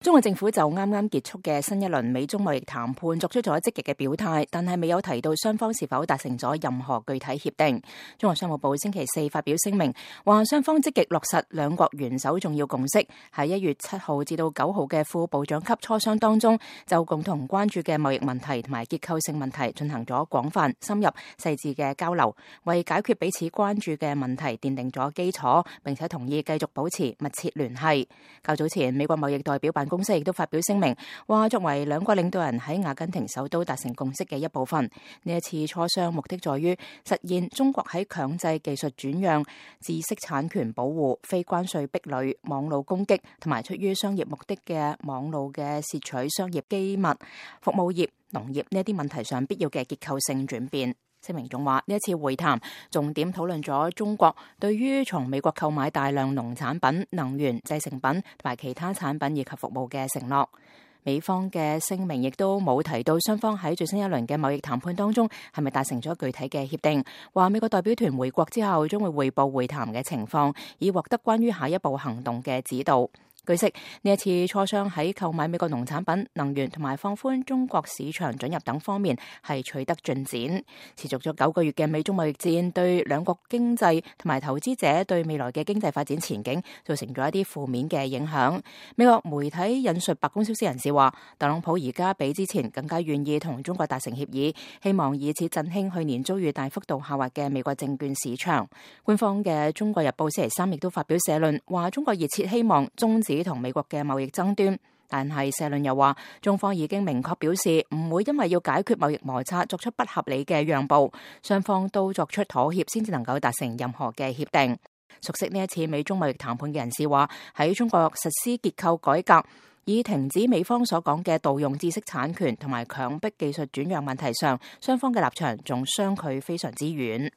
中國政府就啱啱結束嘅新一輪美中貿易談判作出咗積極嘅表態，但係未有提到雙方是否達成咗任何具體協定。中國商務部星期四發表聲明，話雙方積極落實兩國元首重要共識，喺1月7號至到9號嘅副部長級磋商當中，就共同關注嘅貿易問題同埋結構性問題進行咗廣泛、深入、細緻嘅交流，為解決彼此關注嘅問題奠定咗基礎，並且同意繼續保持密切聯繫。較早前，美國貿易代表辦公司亦都發表聲明，話作為兩國領導人喺阿根廷首都達成共識嘅一部分，呢一次磋商目的在於實現中國喺強制技術轉讓、知識產權保護、非關稅壁壘、網路攻擊同埋出於商業目的嘅網路嘅竊取商業機密、服務業、農業呢啲問題上必要嘅結構性轉變。聲明仲話，呢一次會談重點討論咗中國對於從美國購買大量農產品、能源、製成品同埋其他產品以及服務嘅承諾。美方嘅聲明亦都冇提到雙方喺最新一輪嘅貿易談判當中係咪達成咗具體嘅協定。話美國代表團回國之後將會匯報會談嘅情況，以獲得關於下一步行動嘅指導。據悉，呢一次磋商喺購買美國農產品、能源同埋放寬中國市場准入等方面係取得進展。持續咗9個月嘅美中貿易戰對兩國經濟同埋投資者對未來嘅經濟發展前景造成咗一啲負面嘅影響。美國媒體引述白宮消息人士話，特朗普而家比之前更加願意同中國達成協議，希望以此振興去年遭遇大幅度下滑嘅美國證券市場。官方嘅《中國日報》星期三亦都發表社論，話中國熱切希望終止同美國嘅貿易爭端，但係社論又話，中方已經明確表示唔會因為要解決貿易摩擦作出不合理嘅讓步，雙方都作出妥協先至能夠達成任何嘅協定。熟悉呢一次美中貿易談判嘅人士話，喺中國實施結構改革，以停止美方所講嘅盜用知識產權同埋強迫技術轉讓問題上，雙方嘅立場仲相距非常之遠。